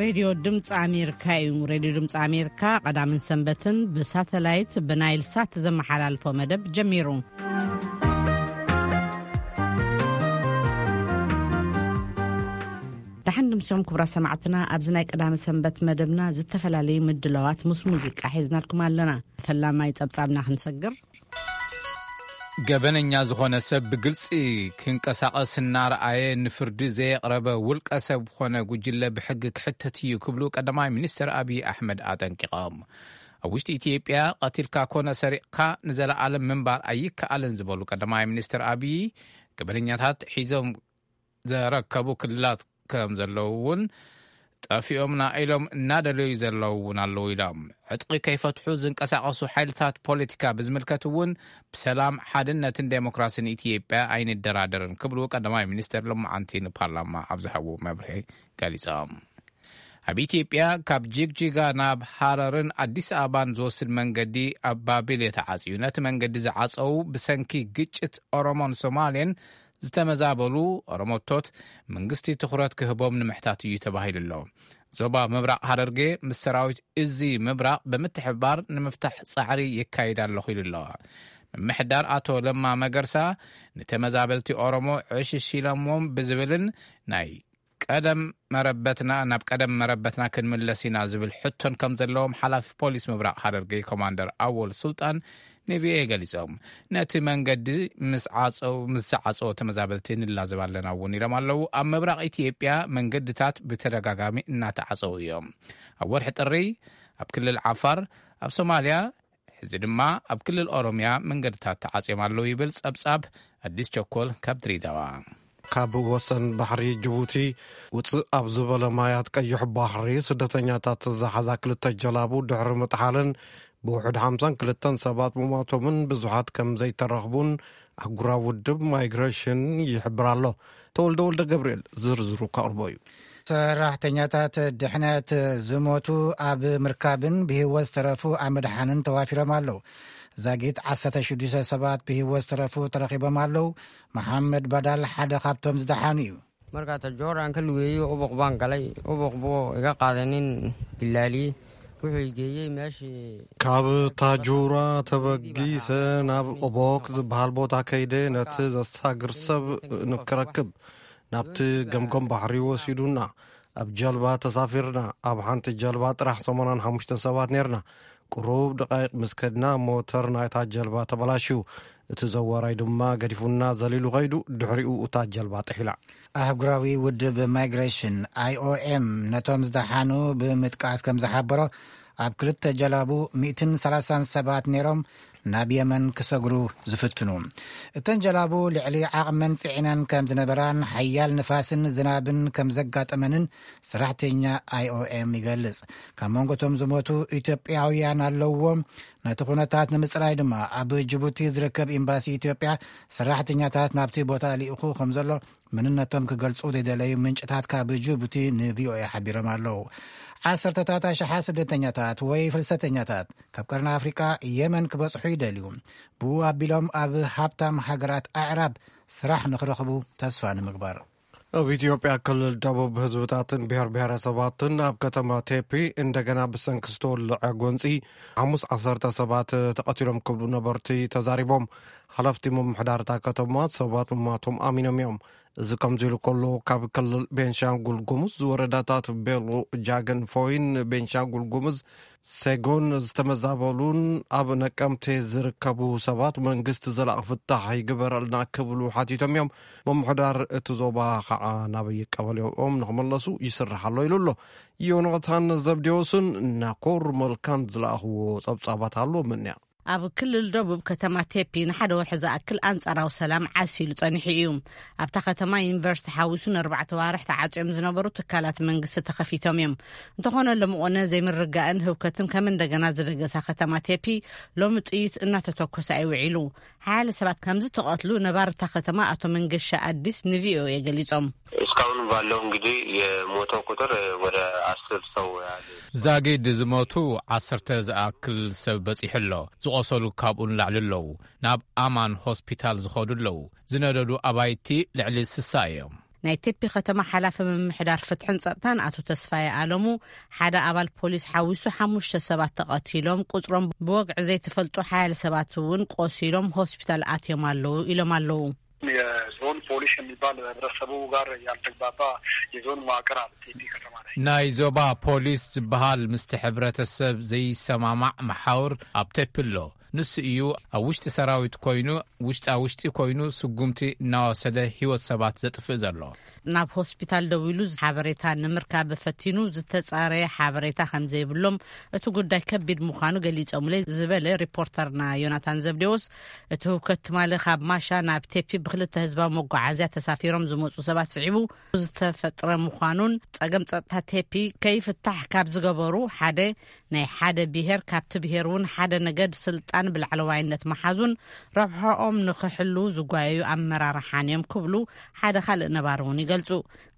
ሬድዮ ድምፂ ኣሜሪካ እዩ። ሬድዮ ድምፂ ኣሜሪካ ቀዳምን ሰንበትን ብሳተላይት ብናይል ሳት ዘመሓላልፎ መደብ ጀሚሩ። ደሓን ድምሲኹም ክቡራት ሰማዕትና፣ ኣብዚ ናይ ቀዳሚ ሰንበት መደብና ዝተፈላለዩ ምድላዋት ምስ ሙዚቃ ሒዝናልኩም ኣለና። ፈላማይ ጸብጻብና ክንሰግር። ገበነኛ ዝኾነ ሰብ ብግልጺ ክንቀሳቐስ እናረኣየ ንፍርዲ ዘየቕረበ ውልቀ ሰብ ኾነ ጉጅለ ብሕጊ ክሕተት እዩ ክብሉ ቀዳማይ ሚኒስትር ኣብይ ኣሕመድ ኣጠንቂቖም። ኣብ ውሽጢ ኢትዮጵያ ቀቲልካ ኮነ ሰሪቕካ ንዘለኣለም ምንባር ኣይከኣልን ዝበሉ ቀዳማይ ሚኒስትር ኣብይ፣ ገበነኛታት ሒዞም ዘረከቡ ክልላት ከም ዘለዉ እውን፣ ጠፊኦምና ኢሎም እናደለዩ ዘለዉ እውን ኣለዉ ኢሎም። ዕጥቂ ከይፈትሑ ዝንቀሳቐሱ ሓይልታት ፖለቲካ ብዝምልከት እውን፣ ብሰላም፣ ሓድነትን ዴሞክራሲን ኢትዮጵያ ኣይንደራደርን ክብሉ ቀዳማይ ሚኒስትር ሎማዓንቲ ንፓርላማ ኣብ ዝሃብዎ መብርሂ ገሊጾም። ኣብ ኢትዮጵያ ካብ ጅግጅጋ ናብ ሃረርን ኣዲስ ኣበባን ዝወስድ መንገዲ ኣብ ባቢሌ ተዓጽዩ። ነቲ መንገዲ ዝዓጸዉ ብሰንኪ ግጭት ኦሮሞን ሶማሌን ዝተመዛበሉ ኦሮሞቶት መንግስቲ ትኹረት ክህቦም ንምሕታት እዩ ተባሂሉ ኣሎ። ዞባ ምብራቕ ሃረርጌ ምስ ሰራዊት እዚ ምብራቕ ብምትሕብባር ንምፍታሕ ጻዕሪ የካይድ ኣለኹ ኢሉ ኣሎ። ምምሕዳር ኣቶ ለማ መገርሳ ንተመዛበልቲ ኦሮሞ ዕሽሽ ኢሎሞም ብዝብልን ናይ ቀደም መረበትና፣ ናብ ቀደም መረበትና ክንምለስ ኢና ዝብል ሕቶን ከም ዘለዎም ሓላፊ ፖሊስ ምብራቕ ሃረርጌ ኮማንደር ኣወል ሱልጣን ንቪኦኤ ገሊጾም። ነቲ መንገዲ ምስ ዓጸው-፣ ምስ ዝዓጸዎ ተመዛበልቲ ንላዘብ ኣለና እውን ኢሎም ኣለዉ። ኣብ ምብራቕ ኢትዮጵያ መንገድታት ብተደጋጋሚ እናተዓጸዉ እዮም። ኣብ ወርሒ ጥሪ ኣብ ክልል ዓፋር፣ ኣብ ሶማልያ፣ ሕዚ ድማ ኣብ ክልል ኦሮምያ መንገድታት ተዓጽዮም ኣለዉ ይብል ጸብጻብ ኣዲስ ቸኮል ካብ ድሬዳዋ። ካብ ወሰን ባሕሪ ጅቡቲ ውጽእ ኣብ ዝበለ ማያት ቀይሕ ባሕሪ ስደተኛታት ዝሓዛ ክልተ ጀላቡ ድሕሪ ምጥሓለን ብውሑድ ሓምሳን ክልተን ሰባት ምሟቶምን ብዙሓት ከም ዘይተረኽቡን ኣህጉራዊ ውድብ ማይግሬሽን ይሕብር ኣሎ። ተወልደ ወልደ ገብርኤል ዝርዝሩ ከቕርቦ እዩ። ሰራሕተኛታት ድሕነት ዝሞቱ ኣብ ምርካብን ብህይወት ዝተረፉ ኣብ ምድሓንን ተዋፊሮም ኣለዉ። ዛጊት ዓሰርተ ሽዱሽተ ሰባት ብህይወት ዝተረፉ ተረኺቦም ኣለዉ። መሓመድ ባዳል ሓደ ካብቶም ዝደሓኑ እዩ። Markaa tajooraan ka lugeeyey ubuq baan galay, ubuq buu iga qaaday nin dilaaliyey. Wuxuu i geeyey meeshii ካብ ታጁራ ተበጊሰ ናብ ኦቦክ ዝበሃል ቦታ ከይደ ነቲ ዘሳግር ሰብ ንክረክብ ናብቲ ገምገም ባሕሪ ወሲዱና። ኣብ ጀልባ ተሳፊርና። ኣብ ሓንቲ ጀልባ ጥራሕ ሰማንያን ሓሙሽተን ሰባት ነርና። ቁሩብ ደቃይቕ ምስ ከድና ሞተር ናይታ ጀልባ ተበላሽዩ። እቲ ዘዋራይ ድማ ገዲፉና ዘሊሉ ከይዱ። ድሕሪኡ እታ ጀልባ ጥሒላ። ኣህጉራዊ ውድብ ማይግሬሽን፣ ኣይኦኤም፣ ነቶም ዝደሓኑ ብምጥቃስ ከም ዝሓበሮ፣ ኣብ ክልተ ጀላቡ ሚእትን ሰላሳን ሰባት ነይሮም ናብ የመን ክሰግሩ ዝፍትኑ። እተን ጀላቡ ልዕሊ ዓቕመን ጽዒነን ከም ዝነበራን ሓያል ንፋስን ዝናብን ከም ዘጋጠመንን ሰራሕተኛ ኣይኦኤም ይገልጽ። ካብ መንጎ እቶም ዝሞቱ ኢትዮጵያውያን ኣለውዎም። ነቲ ኩነታት ንምጽራይ ድማ ኣብ ጅቡቲ ዝርከብ ኤምባሲ ኢትዮጵያ ሰራሕተኛታት ናብቲ ቦታ ልኢኹ ከም ዘሎ መንነቶም ክገልጹ ዘይደለዩ ምንጭታት ካብ ጅቡቲ ንቪኦኤ ሓቢሮም ኣለዉ። ዓሰርተታት ኣሽሓት ስደተኛታት ወይ ፍልሰተኛታት ካብ ቀርኒ ኣፍሪቃ የመን ክበጽሑ ይደልዩ። ብኡ ኣቢሎም ኣብ ሃብታም ሃገራት ኣዕራብ ስራሕ ንኽረኽቡ ተስፋ ንምግባር። ኣብ ኢትዮጵያ ክልል ደቡብ ህዝብታትን ብሔር ብሔረሰባትን ኣብ ከተማ ቴፒ እንደገና ብሰንኪ ዝተወልዐ ጎንፂ ሓሙስ ዓሰርተ ሰባት ተቐቲሎም ክብሉ ነበርቲ ተዛሪቦም። ሓለፍቲ ምምሕዳር እታ ከተማ ሰባት ምማቶም ኣሚኖም እዮም። እዚ ከምዚ ኢሉ ከሎ፣ ካብ ክልል ቤንሻንጉል ጉሙዝ ወረዳታት ቤሎ፣ ጃገን ፎይን፣ ቤንሻንጉል ጉሙዝ ሴጎን ዝተመዛበሉን ኣብ ነቀምቴ ዝርከቡ ሰባት መንግስቲ ዘላቒ ፍታሕ ይግበረልና ክብሉ ሓቲቶም እዮም። ምምሕዳር እቲ ዞባ ከዓ ናበይ ቀበሌኦም ንክመለሱ ይስራሕ ኣሎ ኢሉ ኣሎ። ዮናታን ዘብዴዎስን ናኮር መልካን ዝለኣኽዎ ጸብጻባት ኣሎ። ምንያ ኣብ ክልል ደቡብ ከተማ ቴፒ ንሓደ ወርሒ ዝኣክል ኣንጻራዊ ሰላም ዓስ ኢሉ ጸኒሑ እዩ። ኣብታ ከተማ ዩኒቨርሲቲ ሓዊሱ ንኣርባዕተ ዋርሕ ተዓጽዮም ዝነበሩ ትካላት መንግስቲ ተኸፊቶም እዮም። እንተኾነ ሎሚ ቆነ ዘይምርጋእን ህውከትን ከም እንደገና ዝደገሳ ከተማ ቴፒ ሎሚ ጥይት እናተተኮሰ ኣይውዒሉ። ሓያለ ሰባት ከም ዝተቐትሉ ነባሪ እታ ከተማ ኣቶ መንገሻ ኣዲስ ንቪኦኤ ገሊጾም። እስካሁን ባለው እንግዲህ የሞተው ቁጥር ወደ አስር ሰው ያህል። ዛጊድ ዝሞቱ ዓሰርተ ዝኣክል ሰብ በጺሑ ኣሎ። ዝቖሰሉ ካብኡ ንላዕሊ ኣለዉ። ናብ ኣማን ሆስፒታል ዝኸዱ ኣለዉ። ዝነደዱ ኣባይቲ ልዕሊ ስሳ እዮም። ናይ ቴፒ ከተማ ሓላፊ ምምሕዳር ፍትሕን ጸጥታን ኣቶ ተስፋዬ ኣለሙ፣ ሓደ ኣባል ፖሊስ ሓዊሱ ሓሙሽተ ሰባት ተቐቲሎም፣ ቁጽሮም ብወግዒ ዘይተፈልጡ ሓያለ ሰባት እውን ቆሲሎም ሆስፒታል ኣትዮም ኣለዉ ኢሎም ኣለዉ። የዞን ፖሊስ የሚባል ህብረተሰቡ ጋር ያልተግባባ የዞን መዋቅር አለ ቴፒ ከተማ ላይ። ናይ ዞባ ፖሊስ ዝበሃል ምስቲ ሕብረተሰብ ዘይሰማማዕ መሓውር ኣብ ቴፒ ኣሎ። ንሱ እዩ ኣብ ውሽጢ ሰራዊት ኮይኑ፣ ውሽጣ ውሽጢ ኮይኑ ስጉምቲ እናወሰደ ህይወት ሰባት ዘጥፍእ ዘሎ። ናብ ሆስፒታል ደዊሉ ሓበሬታ ንምርካብ ፈቲኑ ዝተጻረየ ሓበሬታ ከም ዘይብሎም፣ እቲ ጉዳይ ከቢድ ምዃኑ ገሊጾምለይ ዝበለ ሪፖርተርና ዮናታን ዘብዴዎስ፣ እቲ ህውከት ትማሊ ካብ ማሻ ናብ ቴፒ ብክልተ ህዝባዊ መጓዓዝያ ተሳፊሮም ዝመጹ ሰባት ስዒቡ ዝተፈጥረ ምዃኑን፣ ጸገም ጸጥታ ቴፒ ከይፍታሕ ካብ ዝገበሩ ሓደ፣ ናይ ሓደ ብሄር ካብቲ ብሄር እውን ሓደ ነገድ ስልጣን ብላዕለዋይነት መሓዙን ረብሖኦም ንኽሕሉ ዝጓየዩ ኣመራርሓን እዮም ክብሉ ሓደ ካልእ ነባሪ እውን ይገልጹ።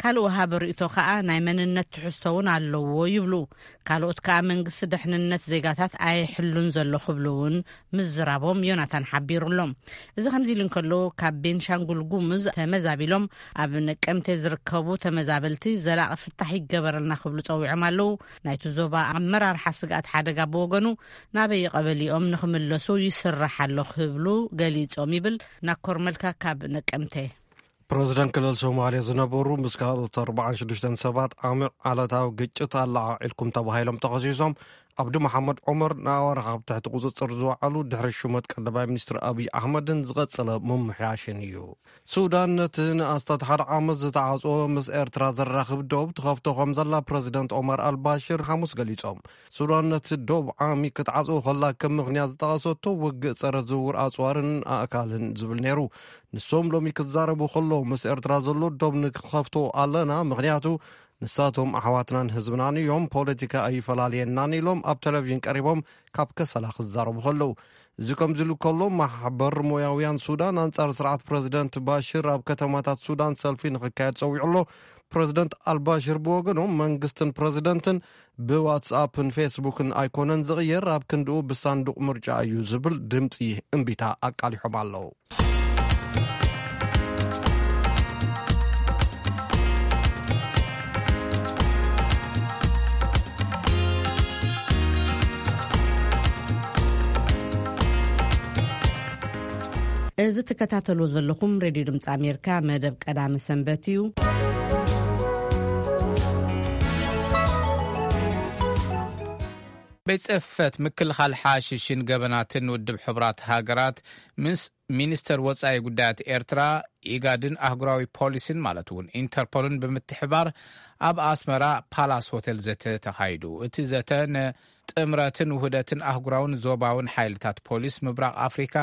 ካልእ ወሃቢ ርእይቶ ከኣ ናይ መንነት ትሕዝቶ እውን ኣለዎ ይብሉ። ካልኦት ከኣ መንግስቲ ድሕንነት ዜጋታት ኣይሕሉን ዘሎ ክብሉ እውን ምዝራቦም ዮናታን ሓቢሩሎም። እዚ ከምዚ ኢሉ እንከሎ፣ ካብ ቤንሻንጉል ጉሙዝ ተመዛቢሎም ኣብ ነቀምቴ ዝርከቡ ተመዛበልቲ ዘላቒ ፍታሕ ይገበረልና ክብሉ ጸዊዖም ኣለዉ። ናይቲ ዞባ ኣመራርሓ ስግኣት ሓደጋ ብወገኑ፣ ናበይ ቀበሊኦም ንኽምለሱ ይስራሕ ኣሎ ክብሉ ገሊጾም ይብል ናኮር መልካ ካብ ነቀምቴ። ፕረዚደንት ክልል ሶማልያ ዝነበሩ ምስ ካልኦት ኣርባዓን ሽዱሽተን ሰባት ዓሚቕ ዓለታዊ ግጭት ኣለዓዒልኩም ተባሂሎም ተኸሲሶም፣ ኣብዲ መሓመድ ዑመር ንኣዋርሕ ኣብ ትሕቲ ቁጽጽር ዝወዓሉ ድሕሪ ሹመት ቀዳማይ ሚኒስትር ኣብይ ኣሕመድን ዝቐጸለ ምምሕያሽን እዩ። ሱዳን ነቲ ንኣስታት ሓደ ዓመት ዝተዓጽወ ምስ ኤርትራ ዘራኽብ ዶብ ትኸፍቶ ከም ዘላ ፕረዚደንት ኦማር ኣልባሽር ሓሙስ ገሊጾም። ሱዳን ነቲ ዶብ ዓሚ ክትዓጽዎ ከላ ከም ምኽንያት ዝጠቐሰቶ ውግእ ጸረ ዝውውር ኣጽዋርን ኣእካልን ዝብል ነይሩ። ንሶም ሎሚ ክዛረቡ ከለዉ ምስ ኤርትራ ዘሎ ዶብ ንክኸፍቶ ኣለና፣ ምኽንያቱ ንሳቶም ኣሕዋትናን ህዝብናን እዮም፣ ፖለቲካ ኣይፈላለየናን ኢሎም ኣብ ቴሌቪዥን ቀሪቦም ካብ ከሰላ ክዛረቡ ከለዉ። እዚ ከምዚ ኢሉ ከሎ፣ ማሕበር ሞያውያን ሱዳን ኣንጻር ስርዓት ፕረዚደንት ባሽር ኣብ ከተማታት ሱዳን ሰልፊ ንኽካየድ ጸዊዑ ኣሎ። ፕረዚደንት ኣልባሽር ብወገኖም መንግስትን ፕረዚደንትን ብዋትስኣፕን ፌስቡክን ኣይኮነን ዝቕየር፣ ኣብ ክንድኡ ብሳንዱቕ ምርጫ እዩ ዝብል ድምጺ እምቢታ ኣቃሊሖም ኣለዉ። እዚ ትከታተሉ ዘለኹም ሬድዮ ድምፂ ኣሜሪካ መደብ ቀዳሚ ሰንበት እዩ። ቤት ጽሕፈት ምክልኻል ሓሽሽን ገበናትን ውድብ ሕቡራት ሃገራት ምስ ሚኒስተር ወጻኢ ጉዳያት ኤርትራ፣ ኢጋድን ኣህጉራዊ ፖሊሲን ማለት እውን ኢንተርፖልን ብምትሕባር ኣብ ኣስመራ ፓላስ ሆቴል ዘተ ተኻይዱ። እቲ ዘተ ንጥምረትን ውህደትን ኣህጉራውን ዞባውን ሓይልታት ፖሊስ ምብራቕ ኣፍሪካ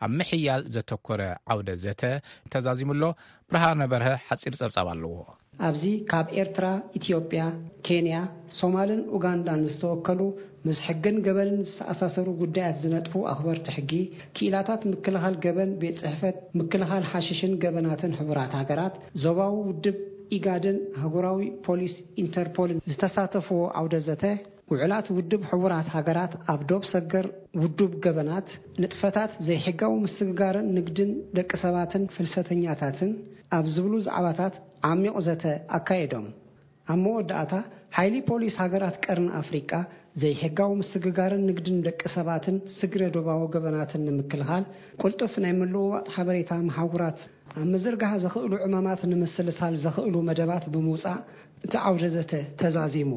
ኣብ ምሕያል ዘተኮረ ዓውደ ዘተ ተዛዚሙ ኣሎ። ብርሃነ በርሀ ሓጺር ጸብጻብ ኣለዎ። ኣብዚ ካብ ኤርትራ፣ ኢትዮጵያ፣ ኬንያ፣ ሶማልን ኡጋንዳን ዝተወከሉ ምስ ሕግን ገበንን ዝተኣሳሰሩ ጉዳያት ዝነጥፉ ኣኽበርቲ ሕጊ፣ ክኢላታት ምክልኻል ገበን፣ ቤት ጽሕፈት ምክልኻል ሓሽሽን ገበናትን ሕቡራት ሃገራት፣ ዞባዊ ውድብ ኢጋድን ኣህጉራዊ ፖሊስ ኢንተርፖልን ዝተሳተፍዎ ዓውደ ዘተ፣ ውዕላት ውድብ ሕቡራት ሃገራት ኣብ ዶብ ሰገር ውዱብ ገበናት፣ ንጥፈታት ዘይሕጋዊ ምስግጋርን ንግድን ደቂ ሰባትን ፍልሰተኛታትን ኣብ ዝብሉ ዛዕባታት ዓሚቕ ዘተ ኣካየዶም። ኣብ መወዳእታ፣ ሓይሊ ፖሊስ ሃገራት ቀርኒ ኣፍሪቃ ዘይሕጋዊ ምስግጋርን ንግድን ደቂ ሰባትን ስግረ ዶባዊ ገበናትን ንምክልኻል ቅልጡፍ ናይ ምልውዋጥ ሓበሬታ መሓውራት ኣብ ምዝርጋሕ ዘኽእሉ ዕማማት ንምስልሳል ዘኽእሉ መደባት ብምውጻእ እቲ ዓውደ ዘተ ተዛዚሙ።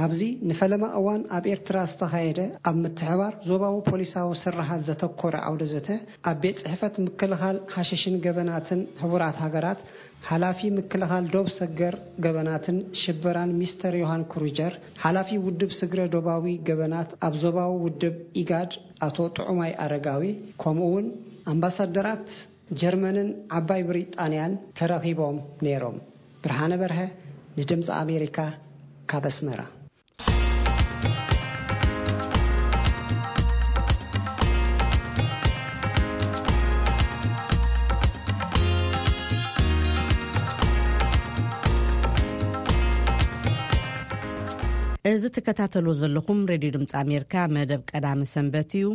ኣብዚ ንፈለማ እዋን ኣብ ኤርትራ ዝተኻየደ ኣብ ምትሕባር ዞባዊ ፖሊሳዊ ስርሓት ዘተኮረ ዓውደ ዘተ ኣብ ቤት ጽሕፈት ምክልኻል ሓሽሽን ገበናትን ሕቡራት ሃገራት ሓላፊ ምክልኻል ዶብ ሰገር ገበናትን ሽበራን ሚስተር ዮሃን ክሩጀር፣ ሓላፊ ውድብ ስግረ ዶባዊ ገበናት ኣብ ዞባዊ ውድብ ኢጋድ ኣቶ ጥዑማይ ኣረጋዊ፣ ከምኡ እውን ኣምባሳደራት ጀርመንን ዓባይ ብሪጣንያን ተረኺቦም ነይሮም። ብርሃነ በርሀ ንድምፂ ኣሜሪካ ካብ ኣስመራ። እዚ ትከታተሉ ዘለኹም ሬድዮ ድምፂ ኣሜሪካ መደብ ቀዳሚ ሰንበት እዩ።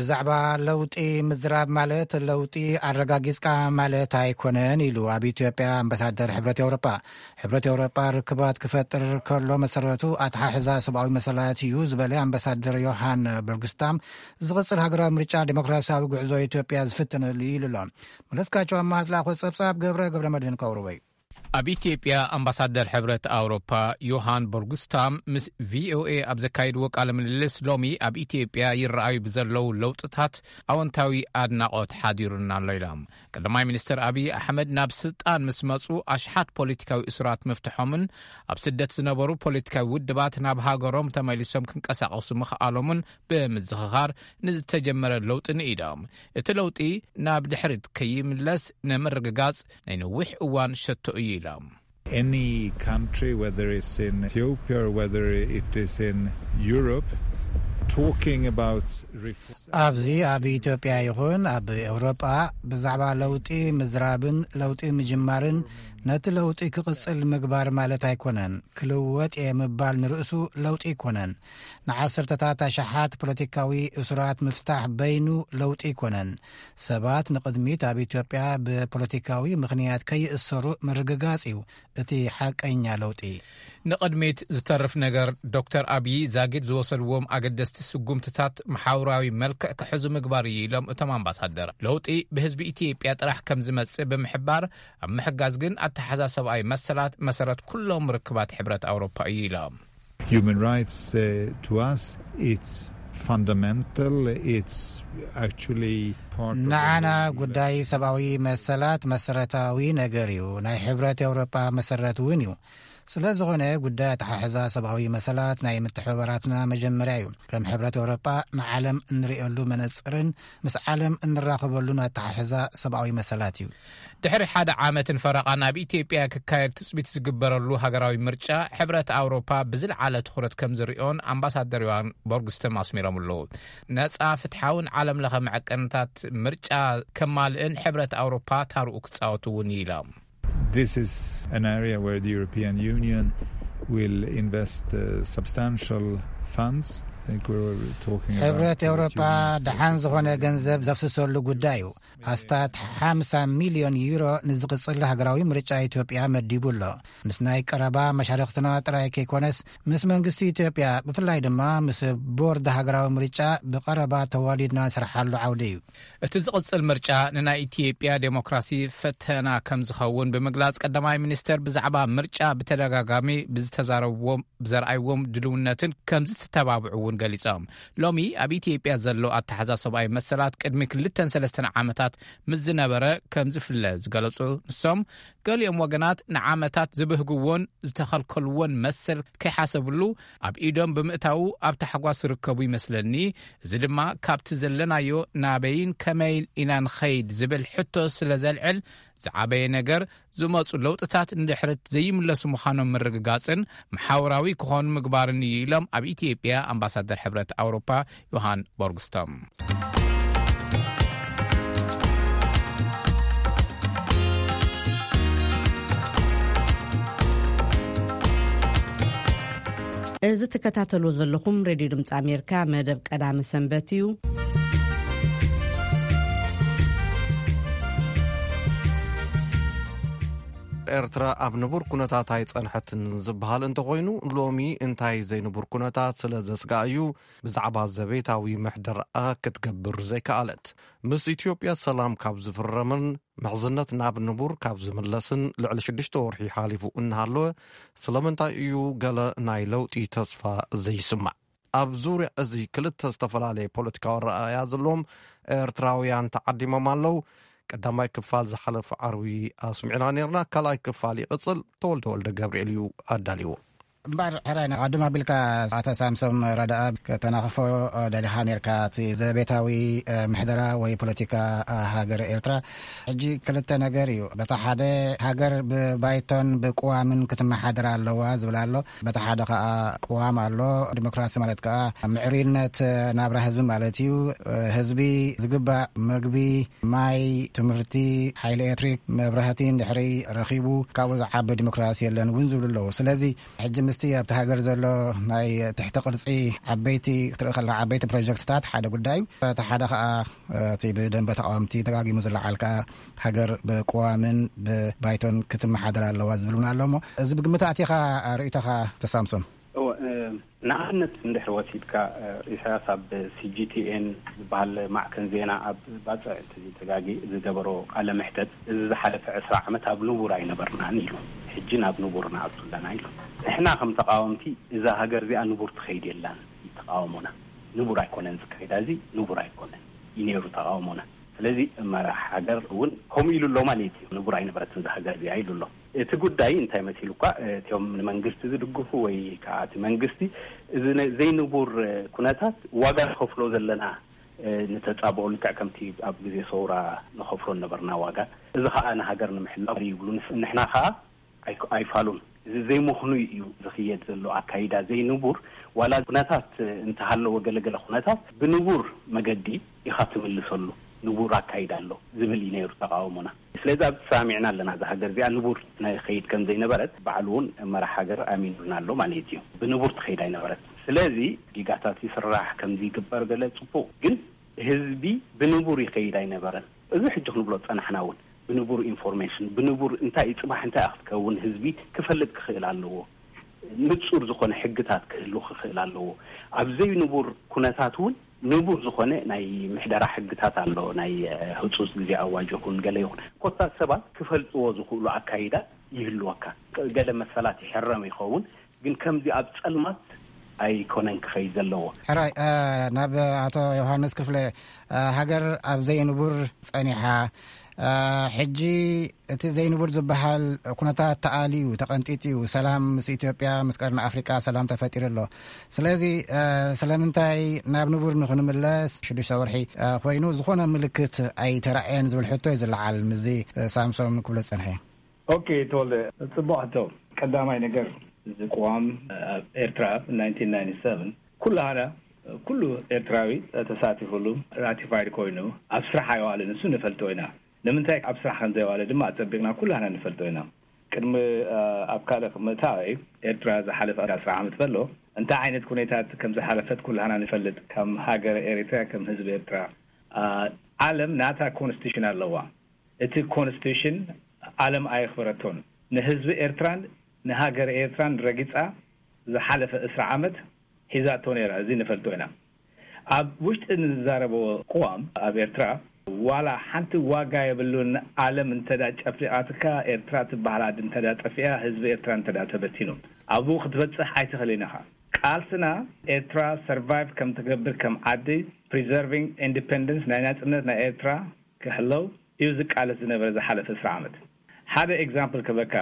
ብዛዕባ ለውጢ ምዝራብ ማለት ለውጢ ኣረጋጊጽካ ማለት ኣይኮነን ኢሉ ኣብ ኢትዮጵያ ኣምባሳደር ሕብረት ኤውሮጳ። ሕብረት ኤውሮጳ ርክባት ክፈጥር ከሎ መሰረቱ ኣተሓሕዛ ሰብኣዊ መሰላት እዩ ዝበለ ኣምባሳደር ዮሃን በርግስታም፣ ዝቕጽል ሃገራዊ ምርጫ ዲሞክራሲያዊ ጉዕዞ ኢትዮጵያ ዝፍትነሉ እዩ ኢሉ ኣሎ። መለስካቸው ኣማሃ ዝለኣኾ ጸብጻብ ገብረ ገብረ መድህን ከቕርቦ እዩ። ኣብ ኢትዮጵያ ኣምባሳደር ሕብረት ኣውሮፓ ዮሃን ቦርግስታም ምስ ቪኦኤ ኣብ ዘካየድዎ ቃለ ምልልስ፣ ሎሚ ኣብ ኢትዮጵያ ይረኣዩ ብዘለዉ ለውጥታት ኣወንታዊ ኣድናቖት ሓዲሩና ኣሎ ኢሎም። ቀዳማይ ሚኒስትር ኣብይ ኣሕመድ ናብ ስልጣን ምስ መጹ፣ ኣሽሓት ፖለቲካዊ እሱራት ምፍትሖምን ኣብ ስደት ዝነበሩ ፖለቲካዊ ውድባት ናብ ሃገሮም ተመሊሶም ክንቀሳቐሱ ምኽኣሎምን ብምዝኽኻር፣ ንዝተጀመረ ለውጢ ንኢዶም። እቲ ለውጢ ናብ ድሕሪት ከይምለስ ንምርግጋጽ ናይ ነዊሕ እዋን ሸቶ እዩ ኢሎም። Any country, whether it's in Ethiopia or whether it is in Europe, talking about reform ኣብዚ ኣብ ኢትዮጵያ ይኹን ኣብ ኤውሮጳ ብዛዕባ ለውጢ ምዝራብን ለውጢ ምጅማርን ነቲ ለውጢ ክቕጽል ምግባር ማለት ኣይኮነን። ክልወጥ እየ ምባል ንርእሱ ለውጢ ኣይኮነን። ንዓሰርተታት ኣሽሓት ፖለቲካዊ እሱራት ምፍታሕ በይኑ ለውጢ ኣይኮነን። ሰባት ንቕድሚት ኣብ ኢትዮጵያ ብፖለቲካዊ ምኽንያት ከይእሰሩ ምርግጋጽ እዩ እቲ ሓቀኛ ለውጢ። ንቕድሚት ዝተርፍ ነገር፣ ዶክተር ኣብዪ ዛጊድ ዝወሰድዎም ኣገደስቲ ስጉምትታት መሓውራዊ መልክዕ ክሕዙ ምግባር እዩ ኢሎም እቶም ኣምባሳደር። ለውጢ ብህዝቢ ኢትዮጵያ ጥራሕ ከም ዝመጽእ ብምሕባር፣ ኣብ ምሕጋዝ ግን ኣተሓሳሰባዊ መሰላት መሰረት ኩሎም ርክባት ሕብረት ኣውሮፓ እዩ ኢሎም። Human rights, uh, to us, it's fundamental, it's actually part of ንዓና ጉዳይ ሰብኣዊ መሰላት መሰረታዊ ነገር እዩ። ናይ ሕብረት ኤውሮጳ መሰረት እውን እዩ። ስለ ዝኾነ ጉዳይ ኣተሓሕዛ ሰብኣዊ መሰላት ናይ ምትሕብባራትና መጀመርያ እዩ። ከም ሕብረት ኤውሮጳ ንዓለም እንርእየሉ መነጽርን ምስ ዓለም እንራኸበሉን ኣተሓሕዛ ሰብኣዊ መሰላት እዩ። ድሕሪ ሓደ ዓመትን ፈረቓን ኣብ ኢትዮጵያ ክካየድ ትጽቢት ዝግበረሉ ሃገራዊ ምርጫ፣ ሕብረት ኣውሮፓ ብዝለዓለ ትኹረት ከም ዝርእዮን ኣምባሳደር ዮሃን ቦርግስተም ኣስሚሮምሉ። ነጻ፣ ፍትሓውን ዓለም ለኸ መዐቀንታት ምርጫ ከማልእን ሕብረት ኣውሮፓ ታርኡ ክጻወቱ እውን ኢሎም። This is an area where the European Union will invest, uh, substantial funds. I think we were talking about ሕብረት ኤውሮፓ ደሓን ዝኾነ ገንዘብ ዘፍስሰሉ ጉዳይ እዩ። ኣስታት ሓምሳ ሚልዮን ዩሮ ንዝቕጽል ሃገራዊ ምርጫ ኢትዮጵያ መዲቡ ኣሎ። ምስ ናይ ቀረባ መሻርኽትና ጥራይ ከይኮነስ፣ ምስ መንግስቲ ኢትዮጵያ፣ ብፍላይ ድማ ምስ ቦርድ ሃገራዊ ምርጫ ብቐረባ ተዋዲድና ንሰርሓሉ ዓውዲ እዩ። እቲ ዝቕጽል ምርጫ ንናይ ኢትዮጵያ ዴሞክራሲ ፈተና ከም ዝኸውን ብምግላጽ፣ ቀዳማይ ሚኒስተር ብዛዕባ ምርጫ ብተደጋጋሚ ብዝተዛረብዎም፣ ብዘርኣይዎም ድልውነትን ከም ዝተተባብዑ እውን ገሊጾም። ሎሚ ኣብ ኢትዮጵያ ዘሎ ኣተሓሕዛ ሰብኣዊ መሰላት ቅድሚ ክልተን ሰለስተን ዓመታት ምስ ዝነበረ ከም ዝፍለ ዝገለጹ ንሶም፣ ገሊኦም ወገናት ንዓመታት ዝብህግዎን ዝተኸልከልዎን መሰል ከይሓሰብሉ ኣብ ኢዶም ብምእታዉ ኣብ ታሕጓስ ዝርከቡ ይመስለኒ። እዚ ድማ ካብቲ ዘለናዮ ናበይን ከመይን ኢና ንኸይድ ዝብል ሕቶ ስለ ዘልዕል፣ ዝዓበየ ነገር ዝመጹ ለውጥታት ንድሕሪት ዘይምለሱ ምዃኖም ምርግጋጽን መሓውራዊ ክኾኑ ምግባርን እዩ ኢሎም ኣብ ኢትዮጵያ ኣምባሳደር ሕብረት ኣውሮፓ ዮሃን ቦርግስቶም። እዚ ትከታተሉ ዘለኹም ሬድዮ ድምፂ ኣሜሪካ መደብ ቀዳመ ሰንበት እዩ። ኤርትራ ኣብ ንቡር ኩነታት ኣይጸንሐትን ዝበሃል እንተኾይኑ፣ ሎሚ እንታይ ዘይንቡር ኩነታት ስለ ዘስግኣ እዩ ብዛዕባ ዘቤታዊ ምሕደራኣ ክትገብር ዘይከኣለት? ምስ ኢትዮጵያ ሰላም ካብ ዝፍረምን ምሕዝነት ናብ ንቡር ካብ ዝምለስን ልዕሊ ሽዱሽተ ወርሒ ሓሊፉ እናሃለወ፣ ስለምንታይ እዩ ገለ ናይ ለውጢ ተስፋ ዘይስማዕ? ኣብ ዙርያ እዚ ክልተ ዝተፈላለየ ፖለቲካዊ ኣረኣእያ ዘለዎም ኤርትራውያን ተዓዲሞም ኣለዉ። ቀዳማይ ክፋል ዝሓለፈ ዓርቢ ኣስሚዕና ነርና። ካልኣይ ክፋል ይቕጽል። ተወልደ ወልደ ገብርኤል እዩ ኣዳልዎ። እምበኣር ሕራይ፣ ንቐድም ኣቢልካ ኣቶ ሳምሶም ረዳኣ ከተናኽፎ ደሊኻ ነርካ፣ እቲ ዘቤታዊ፣ እ፣ ምሕደራ ወይ ፖለቲካ፣ እ፣ ሃገር ኤርትራ። ሕጂ ክልተ ነገር እዩ። በታ ሓደ፣ ሃገር ብባይቶን ብቅዋምን ክትመሓደር ኣለዋ ዝብል ኣሎ። በታ ሓደ ከኣ ቅዋም ኣሎ። ዲሞክራሲ ማለት ከኣ ምዕሩይነት ናብራ ህዝቢ ማለት እዩ። ህዝቢ ዝግባእ መግቢ፣ ማይ፣ ትምህርቲ፣ ሓይሊ ኤሌክትሪክ፣ መብራህቲ እንድሕሪ ረኺቡ፣ ካብኡ ዝዓቢ ዲሞክራሲ የለን እውን ዝብሉ ኣለዉ። ስለዚ ሕጂ ምስ እቲ ኣብቲ ሃገር ዘሎ ናይ ትሕቲ ቅርጺ ዓበይቲ ክትርኢ ከለኻ፣ ዓበይቲ ፕሮጀክትታት ሓደ ጉዳይ እዩ። እቲ ሓደ ኸኣ እቲ ብደንበ ተቃወምቲ ደጋጊሙ ዝለዓል ከኣ ሃገር ብቅዋምን ብባይቶን ክትመሓደር ኣለዋ ዝብል እውን ኣሎ። እሞ እዚ ብግምት ኣቲኻ ርእይቶኻ ተሳምሶም? እወ፣ እ፣ ንኣብነት እንድሕር ወሲድካ፣ እ፣ ኢሳያስ ኣብ ሲጂቲኤን ዝበሃል ማዕከን ዜና ኣብ ባጽዕ እንተዘይተጋጊ ዝገበሮ ቃለ መሕተት፣ እዚ ዝሓለፈ ዕስራ ዓመት ኣብ ንቡር ኣይነበርናን ኢሉ። ሕጂ ናብ ንቡር ንኣቱ ኣለና ኢሉ። ንሕና ከም ተቃወምቲ እዛ ሃገር እዚኣ ንቡር ትኸይድ የላን እዩ ተቃውሞና። ንቡር ኣይኮነን ዝካይዳ፣ እዚ ንቡር ኣይኮነን እዩ ነይሩ ተቃውሞና። ስለዚ መራሕ ሃገር እውን ከምኡ ኢሉ ኣሎ ማለት እዩ። ንቡር ኣይነበረትን እዛ ሃገር እዚኣ ኢሉ ኣሎ። እቲ ጉዳይ እንታይ መሲሉ እኳ፣ እቲኦም ንመንግስቲ ዝድግፉ ወይ ከዓ እቲ መንግስቲ እዚ ነ-፣ ዘይንቡር ኩነታት ዋጋ ንኸፍሎ ዘለና፣ እ፣ ንተጻብኦ ልክዕ ከምቲ ኣብ ግዜ ሰውራ ንኸፍሎ ነበርና ዋጋ። እዚ ከዓ ንሃገር ንምሕላው ይብሉ። ንስ-፣ ንሕና ከዓ ኣይክ-፣ ኣይፋሉን። እዚ ዘይምኽኑይ እዩ ዝኽየድ ዘሎ ኣካይዳ ዘይንቡር። ዋላ ኩነታት እንተሃለወ፣ ገለገለ ኩነታት ብንቡር መገዲ ኢኻ ትምልሰሉ። ንቡር ኣካይዳ ኣሎ ዝብል እዩ ነይሩ ተቃውሞና። ስለዚ ኣብ ተሰማሚዕና ኣለና፣ እዛ ሃገር እዚኣ ንቡር ናይ ኸይድ ከም ዘይነበረት ባዕሉ እውን መራሕ ሃገር ኣሚኑልና ኣሎ ማለት እዩ። ብንቡር ትኸይድ ኣይነበረት። ስለዚ ዲጋታት ይስራሕ፣ ከምዚ ይግበር፣ ገለ ጽቡቕ፣ ግን ህዝቢ ብንቡር ይኸይድ ኣይነበረን። እዚ ሕጂ ክንብሎ ዝጸናሕና እውን ብንቡር ኢንፎርሜሽን፣ ብንቡር እንታይ እዩ ጽባሕ እንታይ እዩ ክትከውን ህዝቢ ክፈልጥ ክኽእል ኣለዎ። ንጹር ዝኾነ ሕግታት ክህሉ ክኽእል ኣለዎ። ኣብ ዘይንቡር ኩነታት እውን ንቡር ዝኾነ ናይ ምሕደራ ሕግታት ኣሎ። ናይ፣ እ፣ ህጹጽ ግዜ ኣዋጅ ይኹን ገለ ይኹን፣ ኮታ ሰባት ክፈልጥዎ ዝኽእሉ ኣካይዳ ይህልወካ። ገለ መሰላት ይሕረም ይኸውን፣ ግን ከምዚ ኣብ ጸልማት ኣይኮነን ክኸይድ ዘለዎ። ሕራይ፣ እ፣ ናብ ኣቶ ዮሃንስ ክፍለ፣ እ፣ ሃገር ኣብ ዘይንቡር ጸኒሓ፣ እ፣ ሕጂ እቲ ዘይንቡር ዝበሃል ኩነታት ተኣልዩ፣ ተቐንጢጥዩ፣ ሰላም ምስ ኢትዮጵያ፣ ምስ ቀርኒ ኣፍሪቃ ሰላም ተፈጢሩ ኣሎ። ስለዚ፣ እ፣ ስለምንታይ ናብ ንቡር ንኽንምለስ ሽዱሽተ ወርሒ፣ እ፣ ኮይኑ ዝኾነ ምልክት ኣይተራእየን ዝብል ሕቶ እዩ ዝለዓል። ምስዚ፣ እ፣ ሳምሶም ክብሎ ዝጸንሐ። ኦኬ፣ ተወልደ፣ ጽቡቕ ሕቶ። ቀዳማይ ነገር፣ እዚ ቅዋም ኣብ ኤርትራ ናይንቲን ናይንቲ ሰቨን ኩላህና፣ ኩሉ ኤርትራዊ ተሳቲፉሉ፣ ራቲፋይድ ኮይኑ ኣብ ስራሕ ኣይዋልን፣ እሱ ንፈልጦ ኢና። ንምንታይ ኣብ ስራሕ ከም ዘይዋለ ድማ ኣጸቢቕና ኩላህና ንፈልጦ ኢና። ቅድሚ፣ እ፣ ኣብ ካልእ ምእታወይ፣ ኤርትራ ዝሓለፈ ኣስር ዓመት ከሎ እንታይ ዓይነት ኩነታት ከም ዝሓለፈት ኩላህና ንፈልጥ። ከም ሃገር ኤርትራ፣ ከም ህዝቢ ኤርትራ፣ እ፣ ዓለም ናታ ኮንስቲቱሽን ኣለዋ። እቲ ኮንስቲቱሽን ዓለም ኣየኽበረቶን። ንህዝቢ ኤርትራን ንሃገር ኤርትራን ረጊጻ ዝሓለፈ ዕስራ ዓመት ሒዛቶ ነይራ። እዚ ንፈልጦ ኢና። ኣብ ውሽጢ ንዛረቦ ቅዋም ኣብ ኤርትራ ዋላ ሓንቲ ዋጋ የብሉን። ዓለም እንተ ደኣ ጨፊቓትካ፣ ኤርትራ ትበሃል ዓዲ እንተ ደኣ ጠፊኣ፣ ህዝቢ ኤርትራ እንተ ደኣ ተበቲኑ፣ ኣብኡ ክትበጽሕ ኣይትኽእልን ኢኻ። ቃልስና ኤርትራ ሰርቫይቭ ከም ትገብር፣ ከም ዓዲ፣ ፕሪዘርቪንግ ኢንዲፐንደንስ፣ ናይ ናጽነት ናይ ኤርትራ ክሕለው እዩ ዝቃለስ ዝነበረ ዝሓለፈ ዕስራ ዓመት። ሓደ ኤግዛምፕል ክበካ፣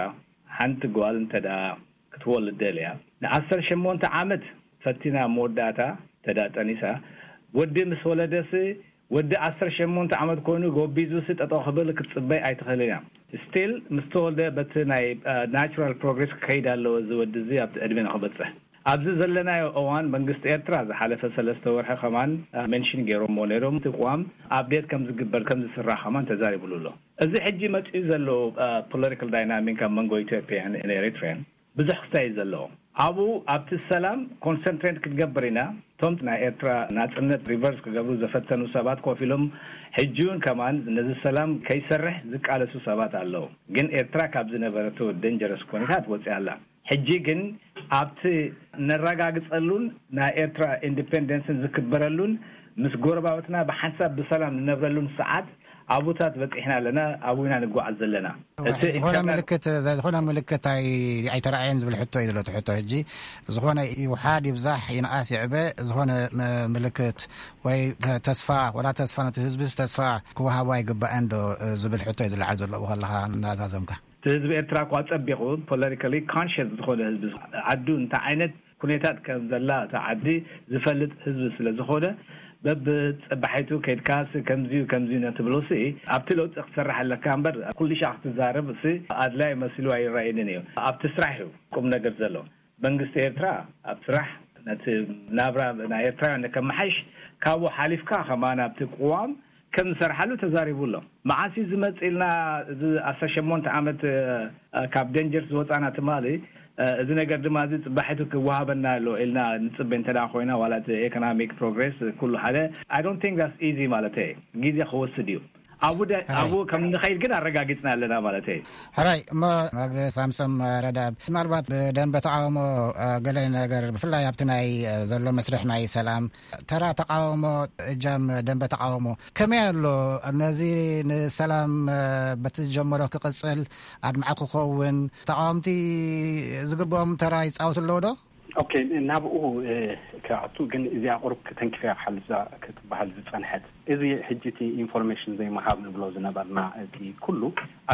ሓንቲ ጓል እንተ ደኣ ክትወልድ ደልያ፣ ንዓሰርተ ሸሞንተ ዓመት ፈቲና መወዳእታ እንተ ደኣ ጠኒሳ፣ ወዲ ምስ ወለደሲ፣ ወዲ ዓሰርተ ሸሞንተ ዓመት ኮይኑ ጎቢዙሲ ጠጠው ክብል ክትጽበይ ኣይትኽእልን እያ። ስቲል ምስ ተወልደ በቲ ናይ፣ እ፣ ናቹራል ፕሮግሬስ ክኸይድ ኣለዎ፣ እዚ ወዲ እዚ ኣብቲ ዕድመ ንኽበጽሕ። ኣብዚ ዘለናዮ እዋን መንግስቲ ኤርትራ ዝሓለፈ ሰለስተ ወርሒ ከማን፣ እ፣ ሜንሽን ገይሮምዎ ነይሮም። እቲ ቅዋም ኣፕዴት ከም ዝግበር፣ ከም ዝስራሕ ከማን ተዛሪብሉ ኣሎ። እዚ ሕጂ መጺኡ ዘሎ፣ እ፣ ፖለቲካል ዳይናሚክ ኣብ መንጎ ኢትዮጵያን ኤሪትሪያን ብዙሕ ክስታይ እዩ ዘለዎ። ኣብኡ ኣብቲ ሰላም ኮንሰንትሬት ክትገብር ኢና። እቶም ናይ ኤርትራ ናጽነት ሪቨርስ ክገብሩ ዘፈተኑ ሰባት ኮፍ ኢሎም፣ ሕጂ እውን ከማን ነዚ ሰላም ከይሰርሕ ዝቃለሱ ሰባት ኣለዉ። ግን ኤርትራ ካብ ዝነበረቶ ደንጀረስ ኩነታት ወጺኣ ኣላ። ሕጂ ግን ኣብቲ ነረጋግጸሉን ናይ ኤርትራ ኢንዲፔንደንስን ዝክበረሉን ምስ ጎረባብትና ብሓንሳብ ብሰላም ንነብረሉን ሰዓት ኣብኡታት በጺሕና ኣለና፣ ኣብኡ ኢና ንጓዓዝ ዘለና። እቲ ዝኾነ ኢንተርናል ምልክት፣ ዝኾነ ምልክት ኣይ-፣ ኣይተረኣየን ዝብል ሕቶ እዩ ዘሎ እቲ ሕቶ። ሕጂ ዝኾነ ይውሓድ ይብዛሕ ይንኣስ ይዕበ፣ ዝኾነ ም-፣ ምልክት ወይ ተ-፣ ተስፋ፣ ወላ ተስፋ ነቲ ህዝብስ ተስፋ ክወሃቦ ኣይግባእን ዶ ዝብል ሕቶ እዩ ዝለዓል ዘሎ ኣብኡ ከለኻ እናዛዘምካ? እቲ ህዝቢ ኤርትራ እኳ ጸቢቑ ፖለቲካሊ ኮንሽስ ዝኾነ ህዝቢ፣ ዓዱ እንታይ ዓይነት ኩነታት ከም ዘላ እታ ዓዲ ዝፈልጥ ህዝቢ ስለ ዝኾነ፣ በብጸባሒቱ ከይድካስ ከምዚዩ ከምዚዩ ነትብሎሲ ኣብቲ ለውጢ ክትሰርሕ ኣለካ እምበር ኩሉ ሻዕ ክትዛረብ ሲ ኣድላይ መሲሉ ኣይረኣየንን እዩ። ኣብቲ ስራሕ እዩ ቁም ነገር ዘሎ። መንግስቲ ኤርትራ ኣብ ስራሕ ነቲ ናብራ ናይ ኤርትራውያን ንከመሓይሽ ካብኡ ሓሊፍካ ከማን ኣብቲ ቅዋም ከም ዝሰርሓሉ ተዛሪቡ ኣሎ። መዓስ እዩ ዝመጽእ ኢልና፣ እዚ ዓሰርተ ሸሞንተ ዓመት፣ እ፣ ካብ ደንጀር ዝወጻና ትማሊ፣ እዚ ነገር ድማ እዚ ፅባሒቱ ክወሃበና ኣሎ ኢልና ንፅበ እንተ ኮይና ዋላ እቲ ኤኮኖሚክ ፕሮግሬስ ኩሉ ሓደ I don't think that's easy ማለት ግዜ ክወስድ እዩ። ኣብኡ ኣብኡ ከም ንኸይድ ግን ኣረጋጊፅና ኣለና ማለት እዩ። ሕራይ እሞ፣ ኣብ ሳምሶም ረዳብ፣ ምናልባት ደንበ ተቃውሞ ገለ ነገር ብፍላይ ኣብቲ ናይ ዘሎ መስርሕ ናይ ሰላም ተራ ተቃውሞ፣ እጃም ደንበ ተቃውሞ ከመይ ኣሎ? ነዚ ንሰላም በቲ ዝጀመሮ ክቅፅል ኣድማዕ ክኸውን ተቃወምቲ ዝግብኦም ተራ ይፃወቱ ኣለዉ ዶ? ኦኬ፣ ናብኡ ክኣቱ ግን እዚኣ ቁሩብ ክተንክፍያ ክትበሃል ዝፀንሐት፣ እዚ ሕጂ እቲ ኢንፎርሜሽን ዘይምሃብ ንብሎ ዝነበርና፣ እቲ ኩሉ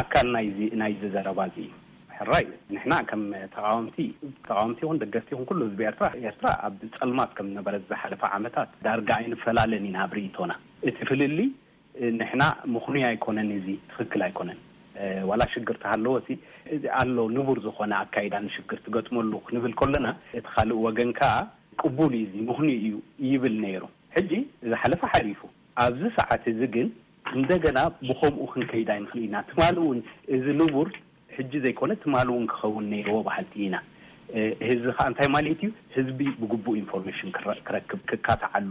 ኣካል ናይዚ ናይዚ ዘረባ እዚ እዩ። ሕራይ ንሕና ከም ተቃወምቲ ተቃወምቲ ይኹን ደገፍቲ ይኹን ኩሉ ህዝቢ ኤርትራ ኤርትራ ኣብ ፀልማት ከም ዝነበረት ዝሓለፈ ዓመታት ዳርጋ ኣይንፈላለን ኢና ኣብ ርእይቶና። እቲ ፍልልይ ንሕና ምኽኑይ ኣይኮነን፣ እዚ ትኽክል ኣይኮነን። ዋላ ሽግር ተሃለወ ሲ ኣሎ ንቡር ዝኾነ ኣካይዳ ንሽግር ትገጥመሉ ክንብል ከለና፣ እቲ ካልእ ወገን ከኣ ቅቡል እዩ፣ እዚ ምኽኑይ እዩ ይብል ነይሩ። ሕጂ ዝሓለፈ ሓሊፉ፣ ኣብዚ ሰዓት እዚ ግን እንደገና ብኸምኡ ክንከይድ ኣይንኽእል ኢና። ትማሊ እውን እዚ ንቡር ሕጂ ዘይኮነ ትማሊ እውን ክኸውን ነይርዎ በሃልቲ ኢና። ህዝቢ ከዓ እንታይ ማለት እዩ? ህዝቢ ብግቡእ ኢንፎርሜሽን ክረክብ፣ ክካታዓሉ፣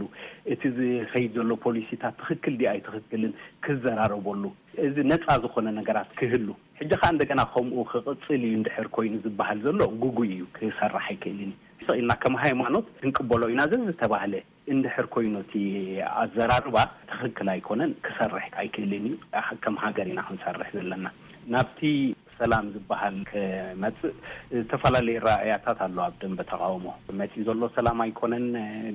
እቲ ዝኸይድ ዘሎ ፖሊሲታት ትኽክል ድዩ ኣይትኽክልን ክዘራረበሉ፣ እዚ ነፃ ዝኾነ ነገራት ክህሉ። ሕጂ ከዓ እንደገና ከምኡ ክቕፅል እዩ እንድሕር ኮይኑ ዝበሃል ዘሎ ግጉይ እዩ፣ ክሰርሕ ኣይክእልን እዩ። ስቕ ኢልና ከም ሃይማኖት ክንቅበሎ ኢና ዘዝተባህለ እንድሕር ኮይኑ እቲ ኣዘራርባ ትኽክል ኣይኮነን፣ ክሰርሕ ኣይክእልን እዩ፣ ከም ሃገር ኢና ክንሰርሕ ዘለና። ናብቲ ሰላም ዝበሃል ክመፅእ ዝተፈላለዩ ራእያታት ኣሎ። ኣብ ደንበ ተቃውሞ መፂኡ ዘሎ ሰላም ኣይኮነን፣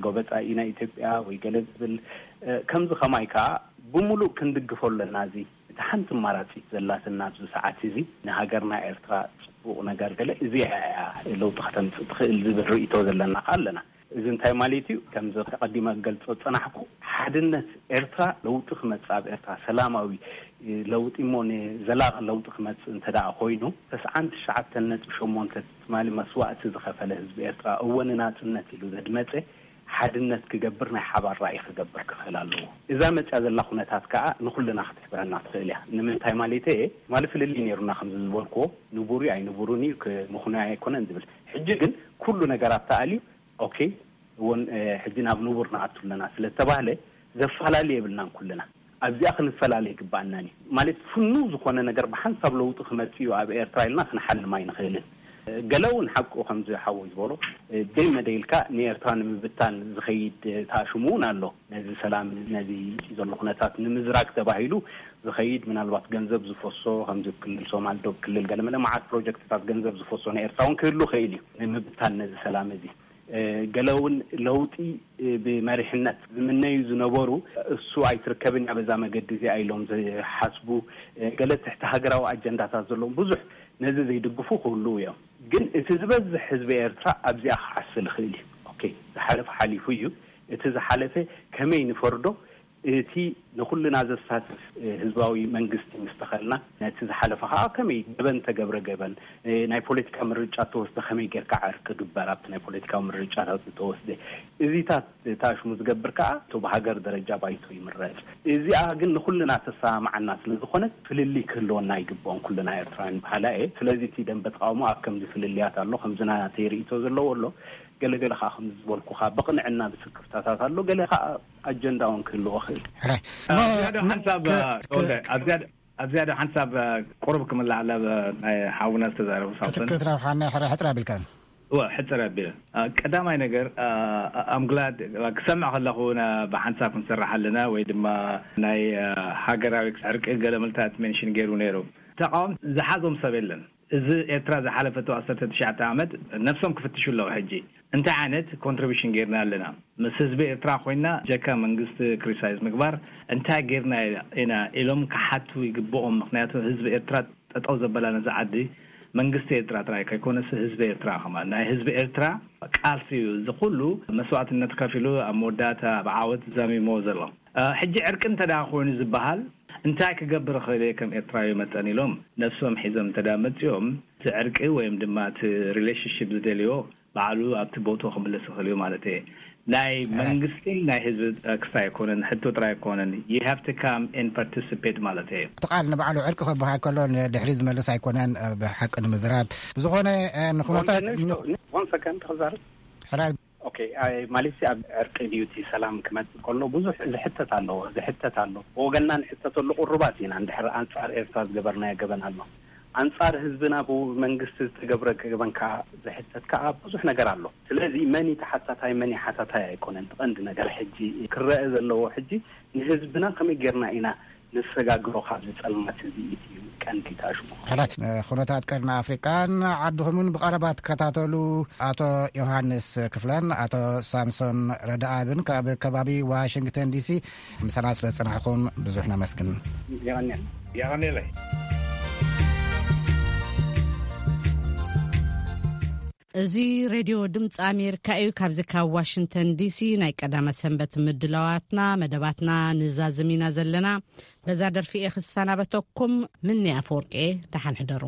ጎበጣ ኢና ኢትዮጵያ ወይ ገለ ዝብል፣ ከምዚ ከማይ ከዓ ብምሉእ ክንድግፎ ኣለና። እዚ እቲ ሓንቲ ኣማራፂት ዘላትና ኣብዚ ሰዓት እዚ ንሃገርና ኤርትራ ፅቡቕ ነገር ገለ እዚኣ እያ ለውጢ ከተምፅእ ትኽእል ዝብል ርእይቶ ዘለና ከዓ ኣለና። እዚ እንታይ ማለት እዩ? ከምዚ ተቐዲመ ክገልጾ ዝጸናሕኩ፣ ሓድነት ኤርትራ ለውጢ ክመጽእ፣ ኣብ ኤርትራ ሰላማዊ ለውጢ እሞ ንዘላቒ ለውጢ ክመጽእ እንተ ደኣ ኮይኑ፣ ተስዓን ትሽዓተን ነጥቢ ሸሞንተ ትማሊ መስዋእቲ ዝኸፈለ ህዝቢ ኤርትራ፣ እወ ንናጽነት ኢሉ ዘድመጸ ሓድነት ክገብር፣ ናይ ሓባር ራእይ ክገብር ክኽእል ኣለዎ። እዛ መጽያ ዘላ ኩነታት ከኣ ንኹልና ክትሕብረና ትኽእል እያ። ንምንታይ ማለተይ እየ? ትማሊ ፍልልይ ነይሩና፣ ከምዚ ዝበልክዎ፣ ንቡር እዩ ኣይንቡርን እዩ፣ ክ-፣ ምኽኑይ ኣይኮነን ዝብል። ሕጂ ግን ኩሉ ነገራት ተኣልዩ፣ ኦኬ፣ እውን፣ እ፣ ሕጂ ናብ ንቡር ንኣቱ ኣለና ስለ ዝተባህለ፣ ዘፈላለ የብልናን ኩልና። ኣብዚኣ ክንፈላለ ይግባኣናን እዩ። ማለት፣ ፍኑው ዝኾነ ነገር ብሓንሳብ ለውጢ ክመጽእ እዩ ኣብ ኤርትራ ኢልና ክንሓልም ኣይንኽእልን። እ፣ ገለ እውን ሓቁ፣ ከምዚ ሓወይ ዝበሎ፣ እ፣ ደይ መደይ ኢልካ ንኤርትራ ንምብታን ዝኸይድ፣ እ፣ ተኣሽሙ እውን ኣሎ። ነዚ ሰላም፣ ነዚ ዘሎ ኩነታት ንምዝራግ ተባሂሉ ዝኸይድ፣ ምናልባት ገንዘብ ዝፈሶ፣ ከምዚ ክልል ሶማል፣ ዶብ ክልል፣ ገለ መለ መዓት ፕሮጀክትታት ገንዘብ ዝፈሶ ንኤርትራ እውን ክህሉ ይኽእል እዩ፣ ንምብታን ነዚ ሰላም እዚ። እ፣ ገለ እውን ለውጢ፣ እ፣ ብመሪሕነት ዝምነዩ ዝነበሩ፣ እሱ ኣይትርከብን እያ በዛ መገዲ እዚኣ ኢሎም ዝሓስቡ፣ እ፣ ገለ ትሕቲ ሃገራዊ ኣጀንዳታት ዘለዎም ብዙሕ ነዚ ዘይድግፉ ክህልዉ እዮም። ግን እቲ ዝበዝሕ ህዝቢ ኤርትራ ኣብዚኣ ክዓስል ይኽእል እዩ። ኦኬ፣ ዝሓለፈ ሓሊፉ እዩ። እቲ ዝሓለፈ ከመይ ንፈርዶ? እቲ ንኹልና ዘሳትፍ፣ እ፣ ህዝባዊ መንግስቲ ምስ ተኸልና፣ ነቲ ዝሓለፈ ኸዓ ከመይ ገበን ተገብረ ገበን፣ እ፣ ናይ ፖለቲካ ምርጫ ተወስደ ከመይ ጌርካ ዓርኪ ግበር ኣብቲ ናይ ፖለቲካዊ ምርጫታት ዝተወስደ። እዚታት ተኣሽሙ ዝገብር ከኣ እቶ ብሃገር ደረጃ ባይቶ ይምረጽ። እዚኣ ግን ንኹልና ተሰማምዓና ስለ ዝኾነት ፍልልይ ክህልወና ኣይግብኦን፣ ኩልና ኤርትራውያን በሃላይ እየ። ስለዚ እቲ ደንበ ተቃውሞ ኣብ ከምዚ ፍልልያት ኣሎ፣ ከምዚ ናተይ ርእይቶ ዘለዎ ኣሎ፣ ገለ ገለ ከኣ ከምዚ ዝበልኩኻ ብቕንዕና ብስክፍታታት ኣሎ፣ ገለ ከኣ ኣጀንዳ እውን ክህልዎ ክእል። ሕራይ። ኣብ ዝያዳ ሓንሳብ፣ ክ-፣ ክ-፣ ተወልደ፣ ኣብ ዝያዳ፣ ኣብ ዝያዳ ሓንሳብ፣ ቁሩብ ክምልዓላ፣ ናይ ሓውና ዝተዛረቡ ሳምሶን። ክትክትረብሓና ሕራይ ሕጽር ኣቢልካ። እወ፣ ሕጽር ኣቢለ። አ፣ ቀዳማይ ነገር፣ አ፣ I'm glad ክሰምዕ ከለኹ ና-፣ ብሓንሳብ ክንሰርሕ ኣለና ወይ ድማ ናይ፣ አ፣ ሃገራዊ ዕርቂ ገለ ምልታት ሜንሽን ገይሩ ነይሩ። ተቃወምቲ ዝሓዞም ሰብ የለን። እዚ ኤርትራ ዝሓለፈቶ ዓሰርተ ትሽዓተ ዓመት ነብሶም ክፍትሹ ኣለዉ። ሕጂ እንታይ ዓይነት ኮንትሪቢሽን ጌርና ኣለና? ምስ ህዝቢ ኤርትራ ኮይና ጀካ መንግስቲ ክሪቲሳይዝ ምግባር እንታይ ጌርና ኢና ኢሎም ክሓቱ ይግብኦም። ምኽንያቱ ህዝቢ ኤርትራ ጠጠው ዘበላ ነዚ ዓዲ መንግስቲ ኤርትራ ጥራይ ከይኮነስ ህዝቢ ኤርትራ ከማን። ናይ ህዝቢ ኤርትራ ቃልሲ እዩ እዚ ኩሉ መስዋእትነት ከፊሉ ኣብ መወዳእታ ብዓወት ዛሚሞ ዘሎ። እ፣ ሕጂ ዕርቂ እንተ ደኣ ኮይኑ ዝበሃል እንታይ ክገብር እኽእል እየ ከም ኤርትራዊ መጠን ኢሎም ነብሶም ሒዞም እንተ ደኣ መጺኦም፣ እቲ ዕርቂ ወይም ድማ እቲ ሪሌሽንሺፕ ዝደልዮ ባዕሉ ኣብቲ ቦትኡ ክምለስ ይኽእል እዩ ማለት እየ። ናይ መንግስቲ ናይ ህዝቢ ክስታይ ኣይኮነን፣ ሕቶ ጥራይ ኣይኮነን። You have to come and participate ማለት እየ። እቲ ቃል ንባዕሉ ዕርቂ ክበሃል ከሎ ንድሕሪ ዝመልስ ኣይኮነን። ብሓቂ ንምዝራብ ብዝኾነ ንኩነታት። One second ክዛረብ። ሕራይ። ኦኬ። ማለት ኣብ ዕርቂ ድዩ እቲ ሰላም ክመፅእ ከሎ ብዙሕ ዝሕተት ኣሎ ዝሕተት ኣሎ። ብወገንና ንሕተተሉ ቁሩባት ኢና። እንድሕር ኣንፃር ኤርትራ ዝገበርናዮ ገበን ኣሎ፣ ኣንፃር ህዝብና ብመንግስቲ ዝተገብረ ገበን ከዓ ዝሕተት ከዓ ብዙሕ ነገር ኣሎ። ስለዚ መን ተሓታታይ መን ሓታታይ ኣይኮነን። ቀንዲ ነገር ሕጂ ክረአ ዘለዎ ሕጂ ንህዝብና ከመይ ጌርና ኢና ንሰጋግሮ ካብዚ ፀልማት እዚ እዩ ቀንዲ ተኣሽሙ። ሕራይ። ኩነታት ቀርኒ ኣፍሪቃን ዓድኹምን ብቐረባ ትከታተሉ ኣቶ ዮሃንስ ክፍለን ኣቶ ሳምሶን ረዳኣብን ካብ ከባቢ ዋሽንግተን ዲሲ ምሳና ስለ ዝጸናሕኹም ብዙሕ ነመስግን። የቐንየለይ። እዚ ሬድዮ ድምፂ ኣሜሪካ እዩ። ካብዚ ካብ ዋሽንግተን ዲሲ ናይ ቀዳመ ሰንበት ምድላዋትና መደባትና ንዛዝም ኢና ዘለና። በዛ ደርፊ እየ ክሰናበተኩም። ምኒ ኣፈወርቂ፣ ደሓን ሕደሩ።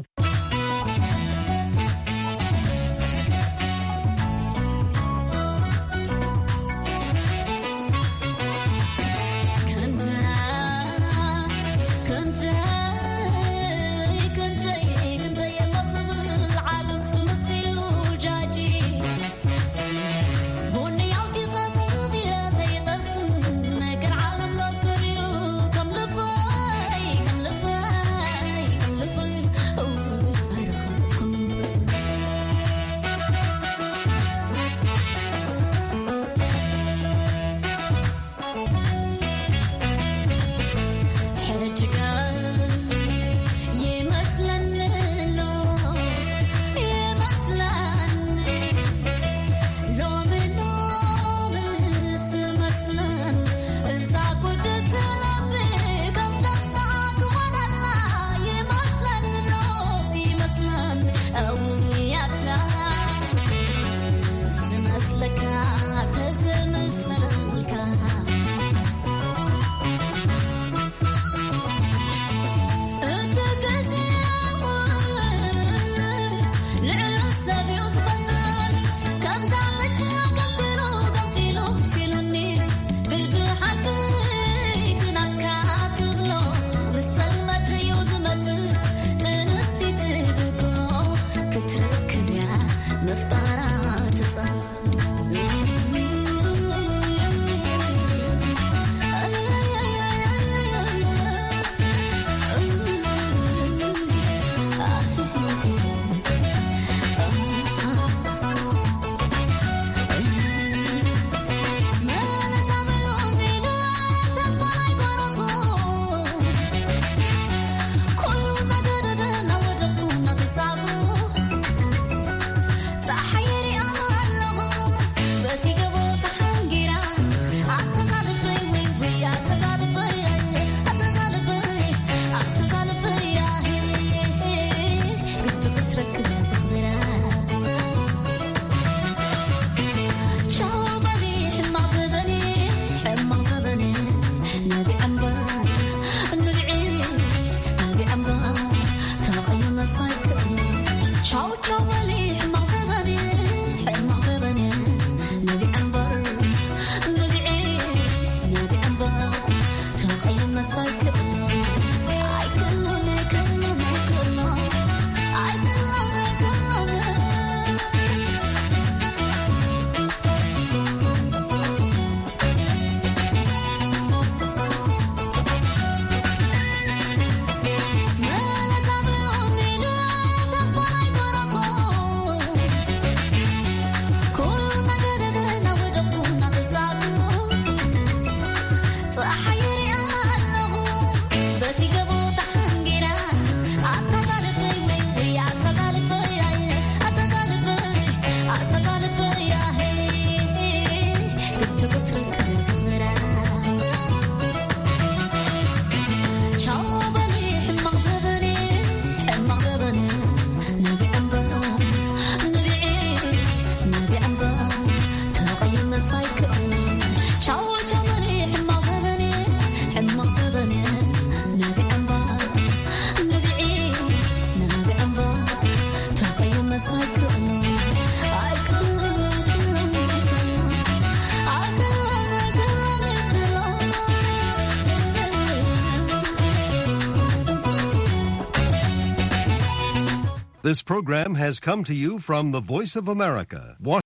This program has come to you from the Voice of America, Washington.